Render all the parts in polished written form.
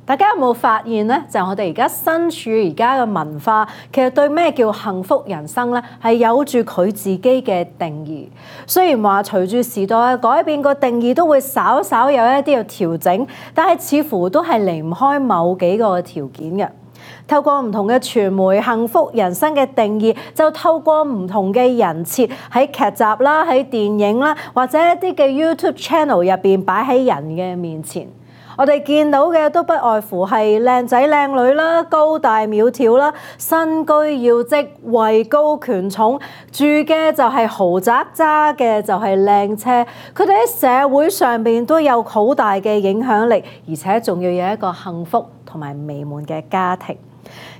大家有冇發現呢？就我哋而家身處而家嘅文化，其實對咩叫幸福人生呢，係有住佢自己嘅定義。雖然話隨住時代嘅改變，個定義都會稍稍有一啲嘅調整，但係似乎都係離唔開某幾個條件嘅。透過唔同嘅傳媒，幸福人生嘅定義就透過唔同嘅人設喺劇集啦、喺電影啦，或者一啲嘅 YouTube channel 入邊擺喺人嘅面前。我哋見到嘅都不外乎係靚仔靚女啦、高大苗條啦、身居要職、位高權重，住嘅就係豪宅，揸嘅就係靚車。佢哋喺社會上邊都有好大嘅影響力，而且仲要有一個幸福同埋美滿嘅家庭。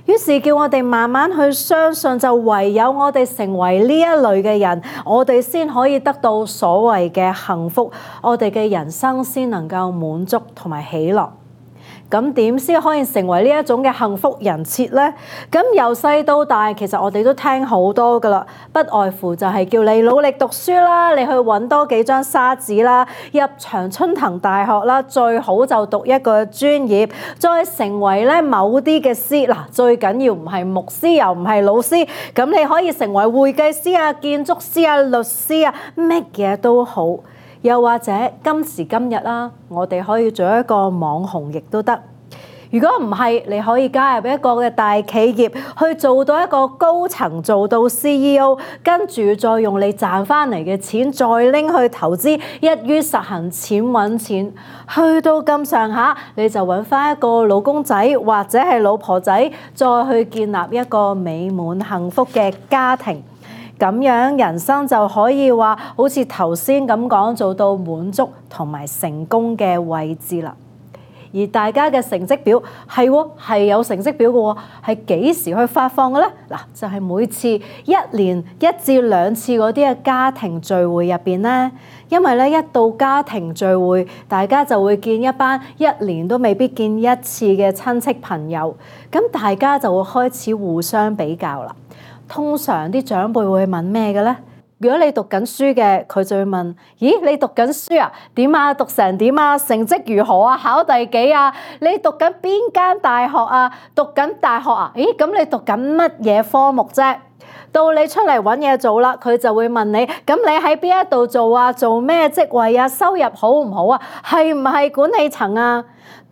於是叫我哋慢慢去相信，就唯有我哋成為呢一類嘅人，我哋先可以得到所謂嘅幸福，我哋嘅人生先能夠滿足同埋喜樂。咁點先可以成為呢一種嘅幸福人設呢？咁由細到大，其實我哋都聽好多噶啦，不外乎就係叫你努力讀書啦，你去揾多幾張沙紙啦，入長春藤大學啦，最好就讀一個專業，再成為咧某啲嘅師嗱，最緊要唔係牧師又唔係老師，咁你可以成為會計師啊、建築師啊、律師啊，乜嘢都好。又或者今時今日啦，我哋可以做一個網紅亦都得。如果唔係，你可以加入一個嘅大企業，去做到一個高層，做到 CEO， 跟住再用你賺翻嚟嘅錢再拎去投資，一於實行錢揾錢。去到咁上下，你就揾翻一個老公仔或者係老婆仔，再去建立一個美滿幸福嘅家庭。咁樣人生就可以話好似頭先咁講，做到滿足同埋成功嘅位置啦。而大家嘅成績表係有成績表嘅喎，係幾時去發放嘅呢？嗱，就係每次一年1至2次嗰啲嘅家庭聚會入邊呢，因為咧一到家庭聚會，大家就會見一班1年都未必見一次嘅親戚朋友，咁大家就會開始互相比較啦。通常啲長輩會問咩嘅咧？如果你讀緊書嘅，佢就會問：咦，你讀緊書啊？點啊？讀成點啊？成績如何啊？考第幾啊？你讀緊邊間大學啊？讀緊大學啊？咦，咁你讀緊乜嘢科目啫？到你出嚟揾嘢做啦，佢就會問你：咁你喺邊一度做啊？做咩職位啊？收入好唔好啊？係唔係管理層啊？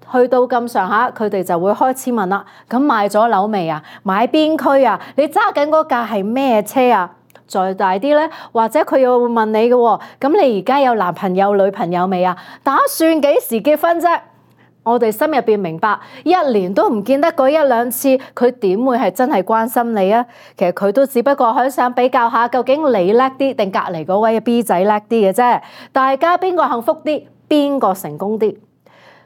去到咁上下，佢哋就會開始問啦。咁買咗樓未啊？買邊區啊？你揸緊嗰架係咩車啊？再大啲咧，或者佢又會問你嘅喎。咁你而家有男朋友女朋友未啊？打算幾時結婚啫？我哋心入邊明白，1年都唔見得嗰1、2次，佢點會係真係關心你啊？其實佢都只不過係想比較下，究竟你叻啲定隔離嗰位 B 仔叻啲嘅啫。大家邊個幸福啲，邊個成功啲？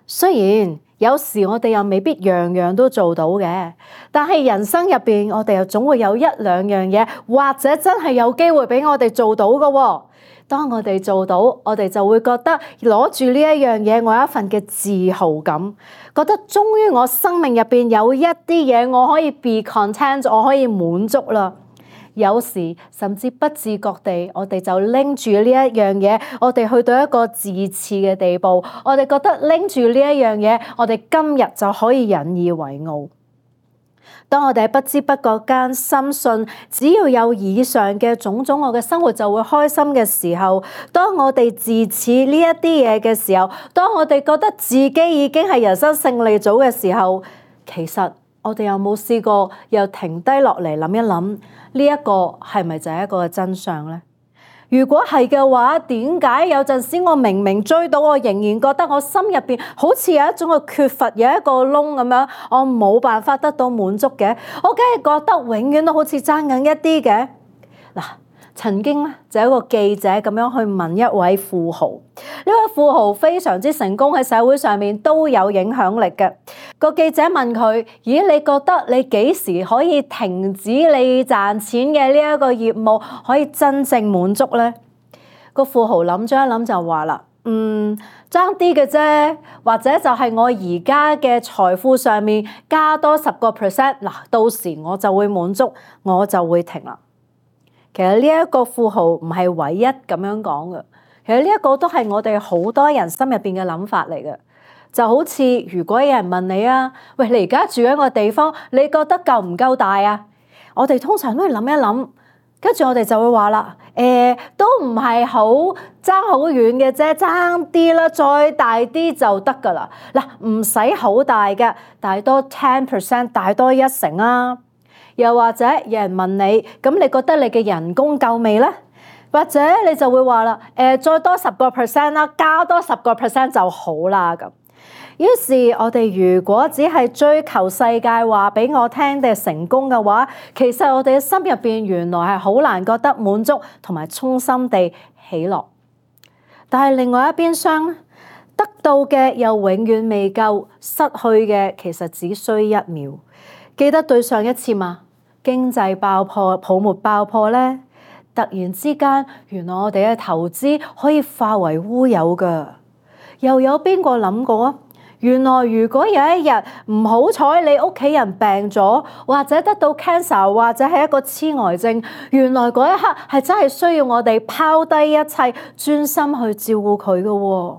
雖然有時我哋又未必樣樣都做到嘅，但係人生入邊我哋又總會有1、2樣嘢，或者真係有機會俾我哋做到嘅喎。當我哋做到，我哋就會覺得攞住呢一樣嘢，我有一份嘅自豪感，覺得終於我生命入邊有一啲嘢我可以 be content， 我可以滿足啦。有時甚至不自覺地，我哋就拎住呢一樣嘢，我哋去到一個自恃嘅地步，我哋覺得拎住呢一樣嘢，我哋今日就可以引以為傲。當我哋喺不知不覺間深信，只要有以上嘅種種，我嘅生活就會開心嘅時候，當我哋自恃呢一啲嘢嘅時候，當我哋覺得自己已經係人生勝利組嘅時候，其實我哋有冇試過又停低落嚟諗一諗，呢一個係咪就係一個真相呢？如果係嘅話，點解有陣時我明明追到，我仍然覺得我心入邊好似有一種嘅缺乏，有一個窿咁樣，我冇辦法得到滿足嘅？我梗係覺得永遠都好似爭緊一啲嘅。嗱，曾經咧就有一個記者咁樣去問一位富豪，呢位富豪非常之成功，喺社會上面都有影響力嘅。個記者問佢：咦，你覺得你幾時可以停止你賺錢嘅呢一個業務，可以真正滿足呢？個富豪諗咗一諗就話啦：爭啲嘅啫，或者就係我而家嘅財富上面加多10%，嗱，到時我就會滿足，我就會停啦。其實呢一個富豪唔係唯一咁樣講嘅，其實呢一個都係我哋好多人心入邊嘅諗法嚟嘅。就好似如果有人問你啊，喂，你而家住緊個地方，你覺得夠唔夠大啊？我哋通常都會諗一諗，跟住我哋就會話啦，都唔係好爭好遠嘅啫，爭啲啦，再大啲就得㗎啦。嗱，唔使好大嘅，大多 10%，大多1成啊。又或者有人問你，咁你覺得你嘅人工夠未呢？或者你就會話啦，再多10%啦，加多10% 就好啦咁。於是我哋如果只係追求世界話俾我聽嘅成功嘅話，其實我哋嘅心入邊原來係好難覺得滿足同埋衷心地喜樂。但係另外一邊廂，得到嘅又永遠未夠，失去嘅其實只需1秒。記得對上一次嘛，經濟爆破、泡沫爆破呢，突然之間原來我哋嘅投資可以化為烏有㗎。又有邊個諗過啊？原來如果有一日唔好彩你屋企人病咗，或者得到 cancer， 或者係一個痴呆症，原來嗰一刻係真係需要我哋拋低一切，專心去照顧佢嘅喎。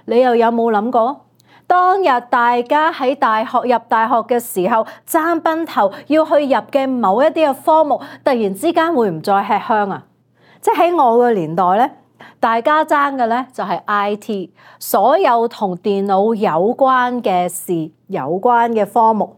你又有冇諗過？當日大家喺入大學嘅時候爭崩頭要去入嘅某一啲嘅科目，突然之間會唔再吃香啊？即係喺我嘅年代咧，大家爭嘅咧就係 IT， 所有同電腦有關嘅事、有關嘅科目。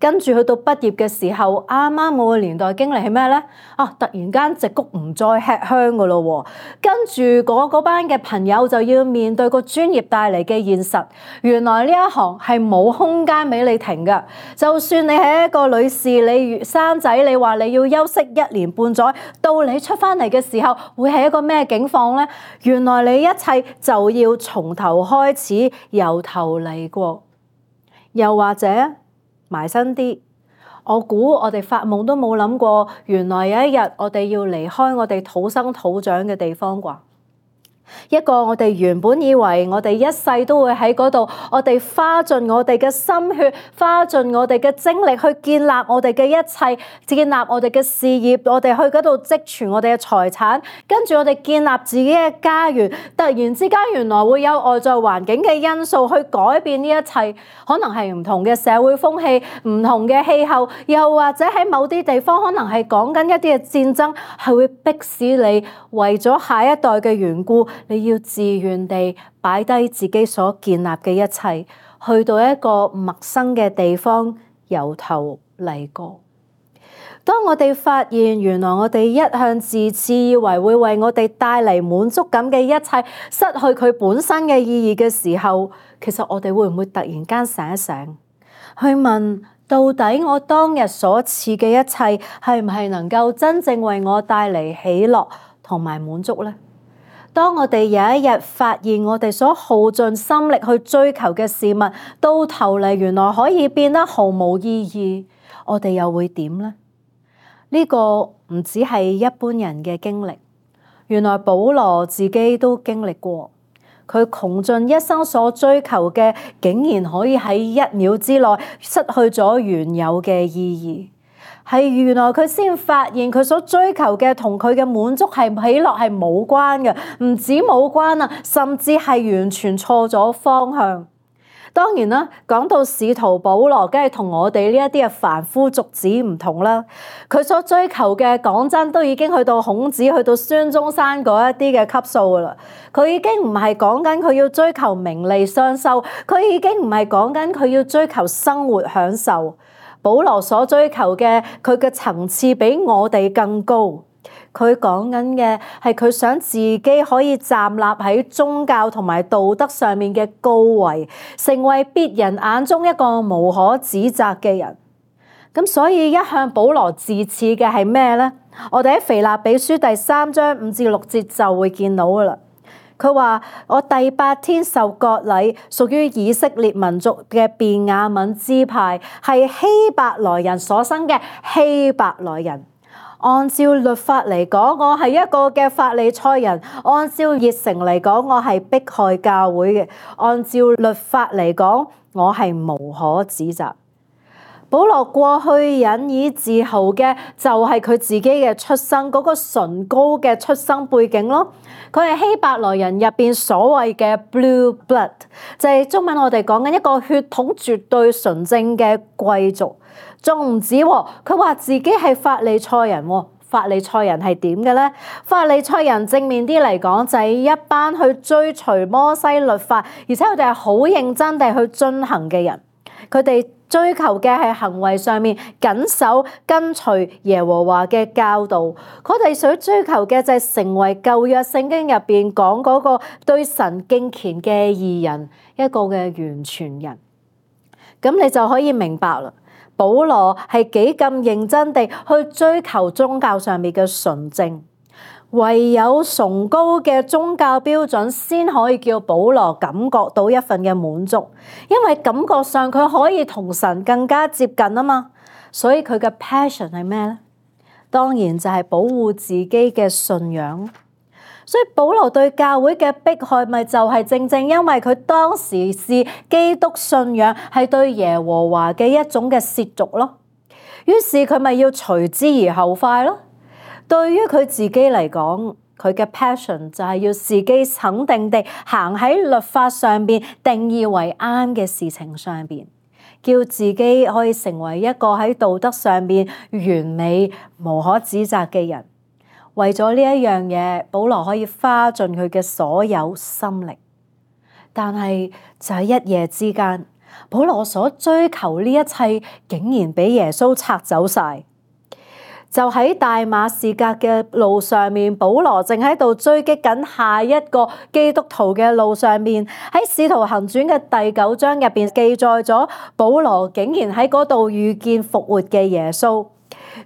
跟住去到畢業嘅時候，啱啱我嘅年代經歷係咩咧？突然間矽谷唔再吃香噶咯喎，跟住嗰班嘅朋友就要面對個專業帶嚟嘅現實。原來呢一行係冇空間俾你停噶，就算你係一個女士，你生仔，你話你要休息1年半載，到你出翻嚟嘅時候，會係一個咩境況咧？原來你一切就要從頭開始，由頭嚟過。又或者埋身啲，我估我哋發夢都冇諗過，原來有一日我哋要離開我哋土生土長嘅地方啩。一個我哋原本以為我哋一世都會喺嗰度，我哋花盡我哋嘅心血，花盡我哋嘅精力去建立我哋嘅一切，建立我哋嘅事業，我哋去嗰度積存我哋嘅財產，跟住我哋建立自己嘅家園。突然之間原來會有外在環境嘅因素去改變呢一切，可能係唔同嘅社會風氣、唔同嘅氣候，又或者喺某啲地方可能係講緊一啲嘅戰爭，係會迫使你為咗下一代嘅緣故，你要自願地擺低自己所建立嘅一切，去到一個陌生嘅地方，由頭嚟過。當我哋發現原來我哋一向自恃以為會為我哋帶嚟滿足感嘅一切，失去佢本身嘅意義嘅時候，其實我哋會唔會突然間醒一醒，去問到底我當日所賜嘅一切係唔係能夠真正為我帶嚟喜樂同埋滿足呢？當我哋有一日發現我哋所耗盡心力去追求嘅事物，到頭嚟原來可以變得毫無意義，我哋又會點呢？呢個唔只係一般人嘅經歷，原來保羅自己都經歷過。佢窮盡一生所追求嘅，竟然可以喺1秒之內失去咗原有嘅意義。係原來佢先發現佢所追求嘅同佢嘅滿足係喜樂係冇關嘅，唔止冇關啊，甚至係完全錯咗方向。當然啦，講到使徒保羅，梗係同我哋呢一啲嘅凡夫俗子唔同啦。佢所追求嘅，講真都已經去到孔子、去到孫中山嗰一啲嘅級數噶啦。佢已經唔係講緊佢要追求名利雙收，佢已經唔係講緊佢要追求生活享受。保羅所追求嘅，佢嘅層次比我哋更高。佢講緊嘅係佢想自己可以站立喺宗教同埋道德上面嘅高位，成為別人眼中一個無可指責嘅人。咁所以一向保羅自恃嘅係咩呢？我哋喺腓立比書第3章5至6節就會見到噶啦。佢話：我第8天受割禮，屬於以色列民族嘅便雅憫支派，係希伯來人所生嘅希伯來人。按照律法嚟講，我係一個嘅法利賽人；按照熱誠嚟講，我係迫害教會嘅；按照律法嚟講，我係無可指責。保羅過去引以自豪嘅就係佢自己嘅出生嗰個崇高嘅出生背景咯。佢係希伯來人入邊所謂嘅 blue blood， 就係中文我哋講緊一個血統絕對純正嘅貴族。仲唔止喎，佢話自己係法利賽人喎。法利賽人係點嘅咧？法利賽人正面啲嚟講就係一班去追隨摩西律法，而且佢哋係好認真地去遵行嘅人。佢哋追求嘅係行為上面謹守跟隨耶和華嘅教導。佢哋想追求嘅就係成為舊約聖經入邊講嗰個對神敬虔嘅義人，一個嘅完全人。咁你就可以明白啦。保羅係幾咁認真地去追求宗教上面嘅純正，唯有崇高嘅宗教標準先可以叫保羅感覺到一份嘅滿足，因為感覺上佢可以同神更加接近啊嘛。所以佢嘅 passion 係咩咧？當然就係保護自己嘅信仰。所以保羅對教會嘅迫害咪就係正正因為佢當時視基督信仰係對耶和華嘅一種嘅褻瀆咯，於是佢咪要隨之而後快咯。對於佢自己嚟講，佢嘅 passion 就係要自己肯定地行喺律法上邊定義為啱嘅事情上邊，叫自己可以成為一個喺道德上邊完美無可指責嘅人。為咗呢一樣嘢，保羅可以花盡佢嘅所有心力，但係就喺一夜之間，保羅所追求呢一切竟然俾耶穌拆走晒。就喺大馬士革嘅路上面，保羅正喺度追擊緊下一個基督徒嘅路上面。喺使徒行傳嘅第9章入邊記載咗，保羅竟然喺嗰度遇見復活嘅耶穌。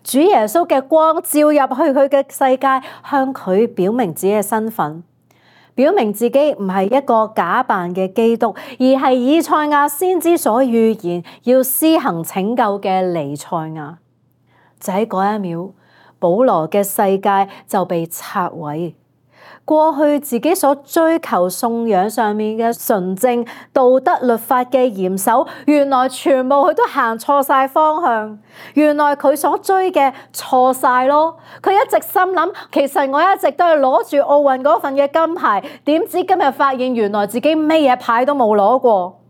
主耶穌嘅光照入去佢嘅世界，向佢表明自己嘅身份，表明自己唔係一個假扮嘅基督，而係以賽亞先知所預言要施行拯救嘅彌賽亞。就喺嗰一秒，保羅嘅世界就被拆毀。過去自己所追求信仰上面嘅純正道德律法嘅嚴守，原來全部佢都行錯晒方向。原來佢所追嘅錯晒咯。佢一直心諗，其實我一直都係攞住奧運嗰份嘅金牌，點知今日發現原來自己咩嘢牌都冇攞過。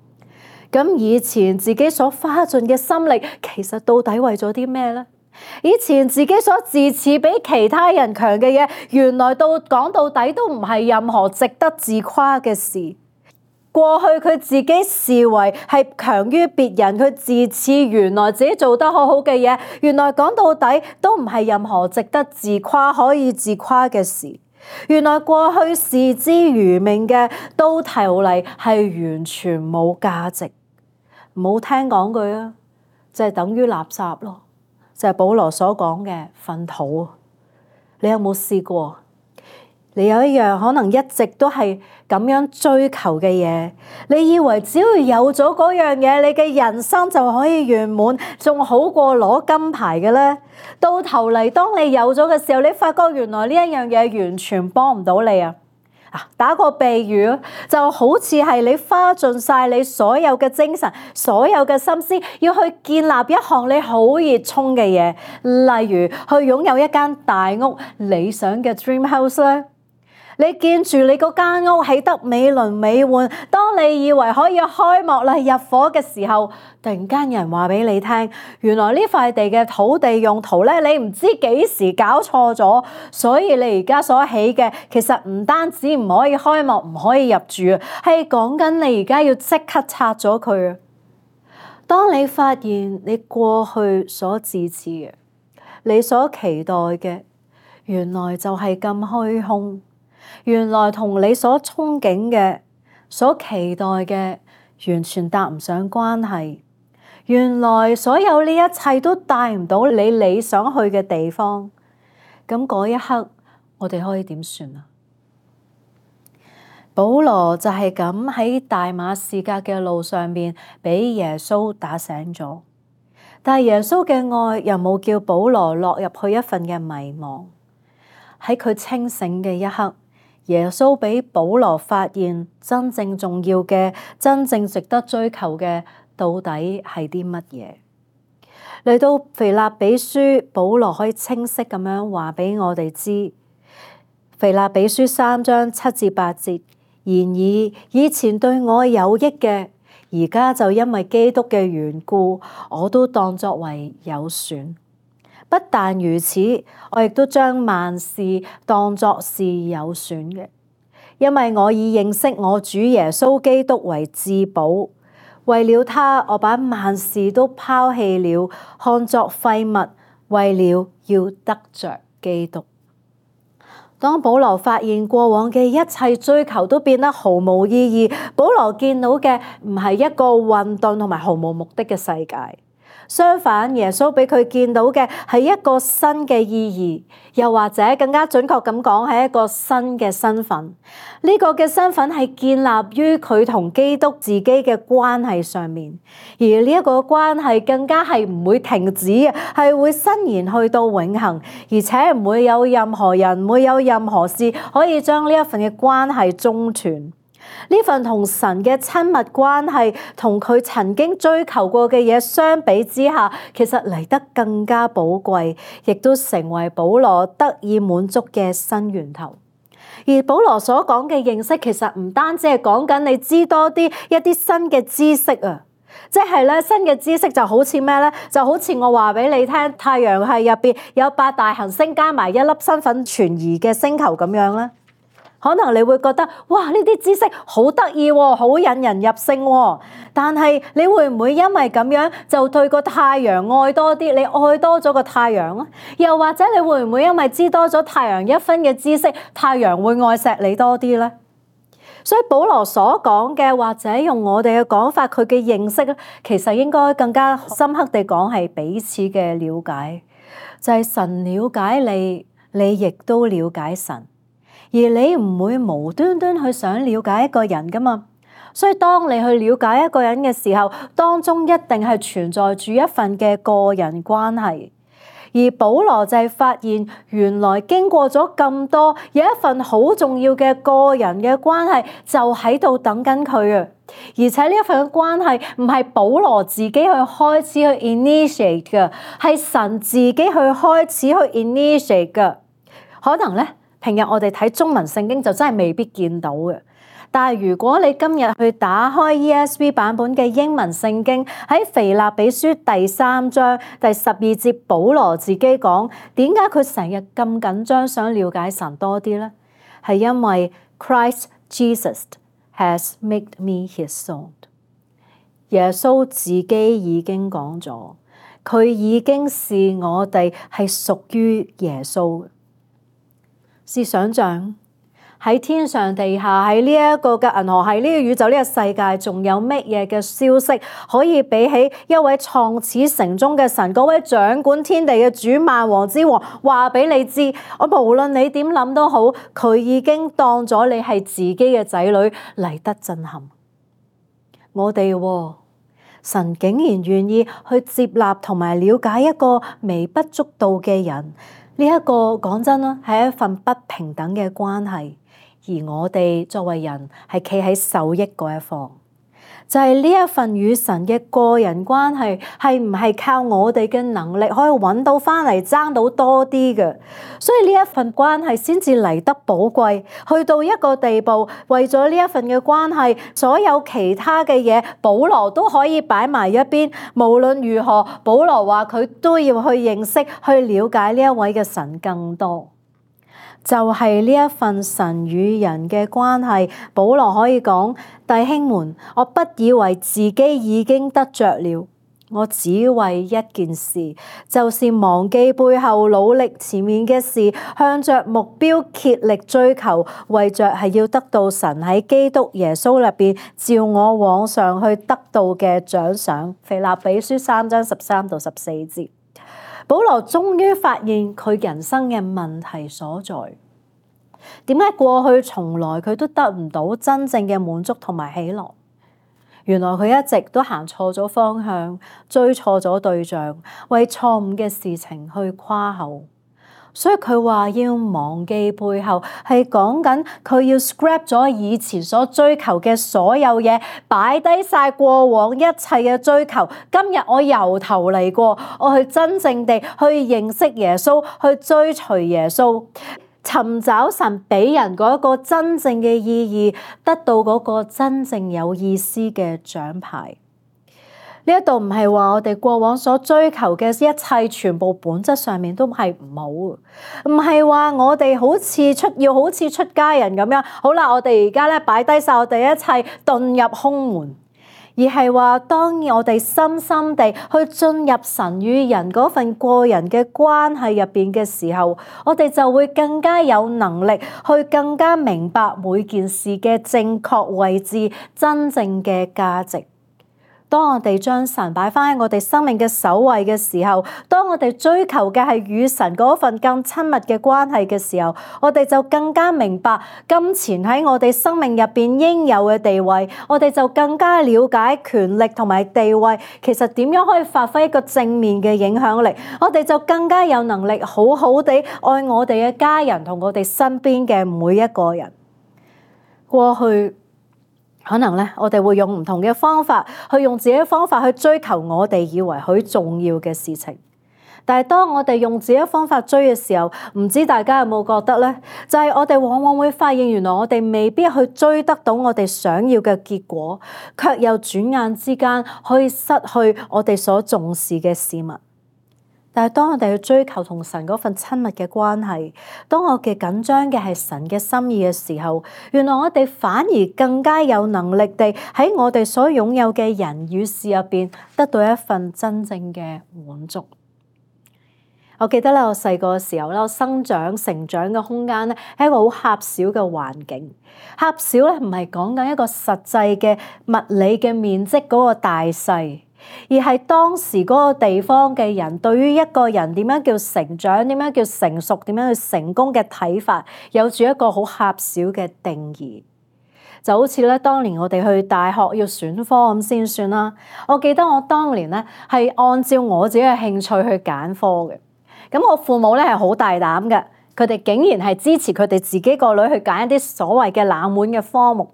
咁以前自己所花盡嘅心力，其實到底為咗啲咩呢？以前自己所自恃比其他人強嘅嘢，原來講到底都唔係任何值得自誇嘅事。過去佢自己視為係強於別人，佢自恃原來自己做得好好嘅嘢，原來講到底都唔係任何值得自誇可以自誇嘅事。原來過去視之如命嘅，到頭嚟係完全冇價值。唔好聽講句啊，就係等於垃圾咯。就係保羅所講嘅糞土。你有冇試過？你有一樣可能一直都係咁樣追求嘅嘢，你以為只要有咗嗰樣嘢，你嘅人生就可以圓滿，仲好過攞金牌嘅咧？到頭嚟，當你有咗嘅時候，你發覺原來呢一樣嘢完全幫唔到你啊！打個比喻，就好似係你花盡晒你所有嘅精神、所有嘅心思，要去建立一項你好熱衷嘅嘢，例如去擁有一間大屋、理想嘅 dream house 咧。你見住你嗰間屋起得美輪美奐，當你以為可以開幕啦、入伙嘅時候，突然間有人話俾你聽，原來呢塊地嘅土地用途咧，你唔知幾時搞錯咗，所以你而家所起嘅其實唔單止唔可以開幕、唔可以入住，係講緊你而家要即刻拆咗佢啊！當你發現你過去所自恃嘅、你所期待嘅，原來就係咁虛空。原來同你所憧憬嘅、所期待嘅完全搭唔上關係。原來所有呢一切都帶唔到你想去嘅地方。咁嗰一刻，我哋可以點算啊？保羅就係咁喺大馬士革嘅路上面俾耶穌打醒咗，但係耶穌嘅愛又冇叫保羅落入去一份嘅迷茫。喺佢清醒嘅一刻，耶穌俾保羅發現真正重要嘅、真正值得追求嘅到底係啲乜嘢？嚟到腓立比書，保羅可以清晰咁樣話俾我哋知，腓立比書3章7至8節，然而以前對我有益嘅，而家就因為基督嘅緣故，我都當作為有損。不但如此，我亦都將萬事當作是有損嘅，因為我以認識我主耶穌基督為至寶。為了他，我把萬事都拋棄了，看作廢物，為了要得着基督。當保羅發現過往嘅一切追求都變得毫無意義，保羅見到嘅唔係一個混沌同埋毫無目的嘅世界。相反，耶穌俾佢見到嘅係一個新嘅意義，又或者更加準確咁講，係一個新嘅身份。呢個嘅身份係建立於佢同基督自己嘅關係上面，而呢一個關係更加係唔會停止嘅，係會伸延去到永恆，而且唔會有任何人，唔會有任何事可以將呢一份嘅關係中斷。呢份同神嘅親密關係，同佢曾經追求過嘅嘢相比之下，其實嚟得更加寶貴，亦都成為保羅得以滿足嘅新源頭。而保羅所講嘅認識，其實唔單止係講緊你知多啲一啲新嘅知識啊，即係咧新嘅知識就好似咩咧？就好似我話俾你聽，太陽系入邊有8大行星加埋一粒身份存疑嘅星球咁樣咧。可能你會覺得，哇！呢啲知識好得意喎，好引人入勝喎。但係你會唔會因為咁樣就對個太陽愛多啲？你愛多咗個太陽啊？又或者你會唔會因為知多咗太陽一分嘅知識，太陽會愛錫你多啲呢？所以保羅所講嘅，或者用我哋嘅講法，佢嘅認識咧，其實應該更加深刻地講係彼此嘅了解，就係神了解你，你亦都了解神。而你唔會無端端去想了解一個人㗎嘛，所以當你去了解一個人嘅時候，當中一定係存在住一份嘅個人關係。而保羅就係發現，原來經過咗咁多，有一份好重要嘅個人嘅關係就喺度等緊佢啊！而且呢一份嘅關係唔係保羅自己去開始去 initiate 嘅，係神自己去開始去 initiate 嘅。可能咧，平日我哋睇中文聖經就真係未必見到嘅，但係如果你今日去打開 ESV 版本嘅英文聖經，喺腓立比書第3章第12節，保羅自己講點解佢成日咁緊張想了解神多啲呢？係因為 Christ Jesus has made me his own。耶穌自己已經講咗，佢已經視我哋係屬於耶穌嘅。試想像喺天上地下，喺呢一個嘅銀河系，呢個宇宙，呢個世界，仲有乜嘢嘅消息可以比起一位創始成終嘅神，嗰位掌管天地嘅主萬王之王話俾你知，我無論你點諗都好，佢已經當咗你係自己嘅仔女嚟得震撼。我哋神竟然願意去接納同埋了解一個微不足道嘅人。呢一個講真啦，係一份不平等嘅關係，而我哋作為人係企喺受益嗰一方，就係呢一份與神嘅個人關係，係唔係靠我哋嘅能力可以揾到翻嚟爭到多啲嘅？所以呢一份關係先至嚟得寶貴，去到一個地步，為咗呢一份嘅關係，所有其他嘅嘢，保羅都可以擺埋一邊。無論如何，保羅話佢都要去認識、去了解呢一位嘅神更多。就係呢一份神與人嘅關係，保羅可以講：弟兄們，我不以為自己已經得着了，我只為一件事，就是忘記背後，努力前面嘅事，向着目標竭力追求，為着係要得到神喺基督耶穌入邊召我往上去得到嘅獎賞。腓立比書3章13到14節。保羅終於發現佢人生嘅問題所在，點解過去從來佢都得唔到真正嘅滿足同埋喜樂？原來佢一直都行錯咗方向，追錯咗對象，為錯誤嘅事情去誇口。所以佢話要忘記背後，係講緊佢要 scrap 咗以前所追求嘅所有嘢，擺低晒過往一切嘅追求。今日我由頭嚟過，我去真正地去認識耶穌，去追隨耶穌，尋找神俾人嗰個真正嘅意義，得到嗰個真正有意思嘅獎牌。呢一度唔係話我哋過往所追求嘅一切全部本質上面都係唔好，唔係話我哋好似出家人咁樣，好啦，我哋而家咧擺低晒我哋一切，遁入空門，而係話當我哋深深地去進入神與人嗰份個人嘅關係入邊嘅時候，我哋就會更加有能力去更加明白每件事嘅正確位置、真正嘅價值。當我哋將神擺翻喺我哋生命嘅首位嘅時候，當我哋追求嘅係與神嗰份更親密嘅關係嘅時候，我哋就更加明白金錢喺我哋生命入邊應有嘅地位，我哋就更加了解權力同埋地位其實點樣可以發揮一個正面嘅影響力，我哋就更加有能力好好地愛我哋嘅家人同我哋身邊嘅每一個人。過去可能咧，我哋會用唔同嘅方法，去用自己嘅方法去追求我哋以為好重要嘅事情。但係當我哋用自己嘅方法追嘅時候，唔知大家有冇覺得咧？就係我哋往往會發現，原來我哋未必去追得到我哋想要嘅結果，卻又轉眼之間可以失去我哋所重視嘅事物。但係當我哋去追求同神嗰份親密嘅關係，當我哋緊張嘅係神嘅心意嘅時候，原來我哋反而更加有能力地喺我哋所擁有嘅人與事入邊得到一份真正嘅滿足。我記得咧，我細個嘅時候咧，我成長嘅空間咧係一個好狹小嘅環境。狹小咧唔係講緊一個實際嘅物理嘅面積嗰個大細，而係當時嗰個地方嘅人對於一個人點樣叫成長、點樣叫成熟、點樣去成功嘅睇法，有住一個好狹小嘅定義。就好似咧，當年我哋去大學要選科咁先算啦。我記得我當年咧係按照我自己嘅興趣去揀科嘅。咁我父母咧係好大膽嘅，佢哋竟然係支持佢哋自己個女去揀一啲所謂嘅冷門嘅科目。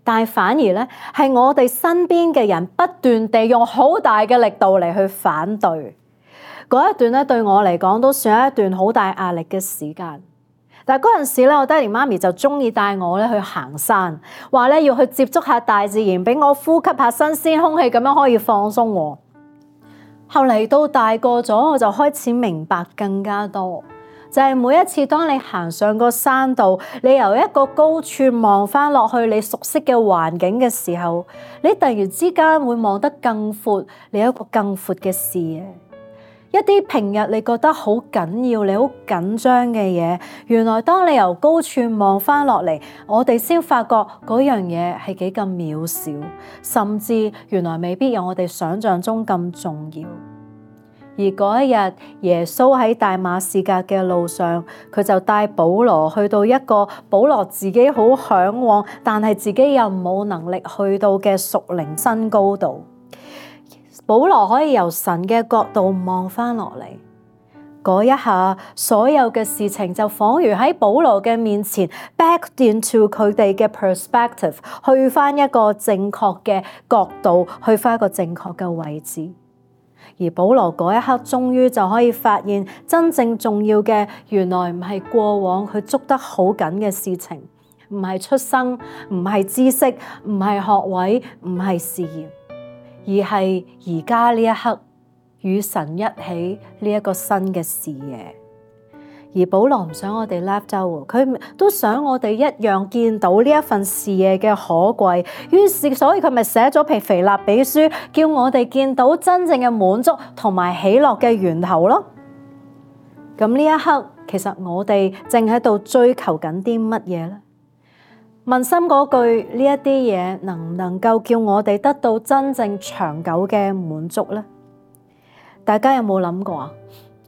但係反而咧，係我哋身邊嘅人不斷地用好大嘅力度嚟去反對。嗰一段咧，對我嚟講都算係一段好大壓力嘅時間。但係嗰陣時咧，我爹哋媽咪就中意帶我咧去行山，話咧要去接觸下大自然，俾我呼吸下新鮮空氣，咁樣可以放鬆我。後嚟到大個咗，我就開始明白更加多。就係每一次當你行上個山度，你由一個高處望翻落去你熟悉嘅環境嘅時候，你突然之間會望得更闊，你有一個更闊嘅視野。一啲平日你覺得好緊要、你好緊張嘅嘢，原來當你由高處望翻落嚟，我哋先發覺嗰樣嘢係幾咁渺小，甚至原來未必有我哋想象中咁重要。而嗰一日，耶穌喺大馬士革嘅路上，佢就帶保羅去到一個保羅自己好向往，但係自己又冇能力去到嘅屬靈新高度。保羅可以由神嘅角度望翻落嚟，嗰一下，所有嘅事情就仿如喺保羅嘅面前 back into 佢哋嘅 perspective， 去翻一個正確嘅角度，去翻一個正確嘅位置。而保羅嗰一刻終於就可以發現真正重要嘅，原來唔係過往佢捉得好緊嘅事情，唔係出生，唔係知識，唔係學位，唔係事業，而係而家呢一刻與神一起呢一個新嘅視野。而保羅唔想我哋 left out， 佢都想我哋一樣見到呢一份視野嘅可貴，於是所以佢咪寫咗《腓立比書》，叫我哋見到真正嘅滿足同埋喜樂嘅源頭咯。咁呢一刻，其實我哋正喺度追求緊啲乜嘢咧？問心嗰句，呢一啲嘢能唔能夠叫我哋得到真正長久嘅滿足咧？大家有冇諗過啊？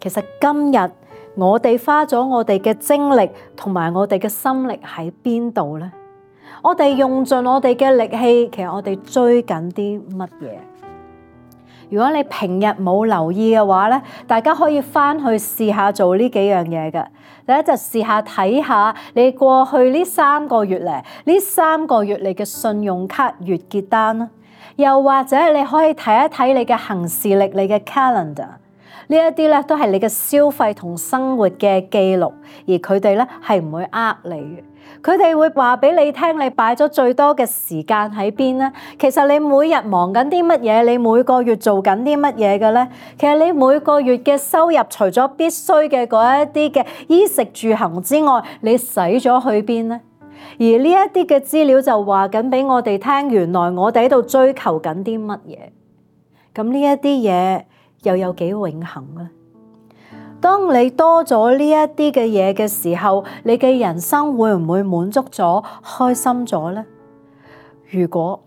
其實今日我哋花咗我哋嘅精力同埋我哋嘅心力喺邊度咧？我哋用盡我哋嘅力氣，其實我哋追緊啲乜嘢？如果你平日冇留意嘅話咧，大家可以翻去試下做呢幾樣嘢嘅。第一就試下睇下你過去呢3個月嚟，呢3個月你嘅信用卡月結單啦，又或者你可以睇一睇你嘅行事曆、你嘅 calendar， 呢一啲咧都係你嘅消費同生活嘅記錄，而佢哋咧係唔會呃你嘅。佢哋會話俾你聽，你擺咗最多嘅時間喺邊咧？其實你每日忙緊啲乜嘢？你每個月做緊啲乜嘢嘅咧？其實你每個月嘅收入，除咗必須嘅嗰一啲嘅衣食住行之外，你使咗去邊咧？而呢一啲嘅資料就話緊俾我哋聽，原來我哋喺度追求緊啲乜嘢？咁呢一啲嘢又有幾永恆咧？當你多咗呢一啲嘅嘢嘅時候，你嘅人生會唔會滿足咗、開心咗咧？如果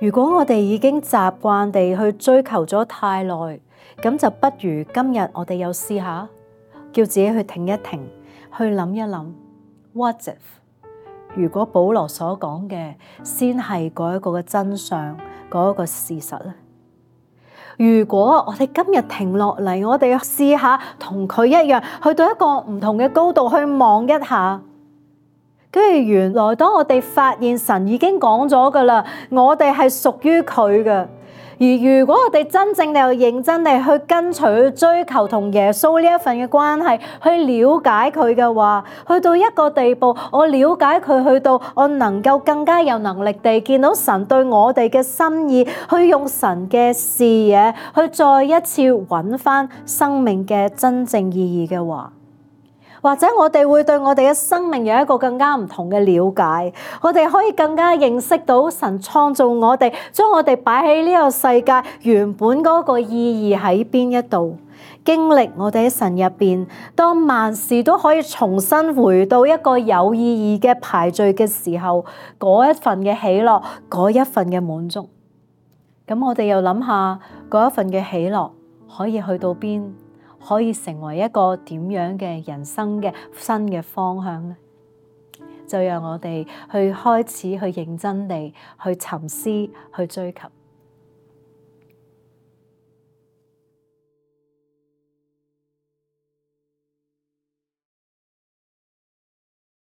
我哋已經習慣地去追求咗太耐，咁就不如今日我哋又試下，叫自己去停一停，去諗一諗 ，What if？ 如果保羅所講嘅先係嗰一個嘅真相，嗰一個事實咧？如果我哋今日停落嚟，我哋試下同佢一樣，去到一個唔同嘅高度去望一下，跟住原來當我哋發現神已經講咗噶啦，我哋係屬於佢嘅。而如果我哋真正地又認真地去跟隨、去追求同耶穌呢一份嘅關係，去了解佢嘅話，去到一個地步，我了解佢，去到我能夠更加有能力地見到神對我哋嘅心意，去用神嘅視野去再一次揾返生命嘅真正意義嘅話，或者我哋會對我哋嘅生命有一個更加唔同嘅了解，我哋可以更加認識到神創造我哋，將我哋擺喺呢個世界原本嗰個意義喺邊一度，經歷我哋喺神入邊，當萬事都可以重新回到一個有意義嘅排序嘅時候，嗰一份嘅喜樂，嗰一份嘅滿足。咁我哋又諗下嗰一份嘅喜樂可以去到邊？可以成為一個點樣嘅人生嘅新嘅方向呢？就讓我哋去開始去認真地去沉思，去追求。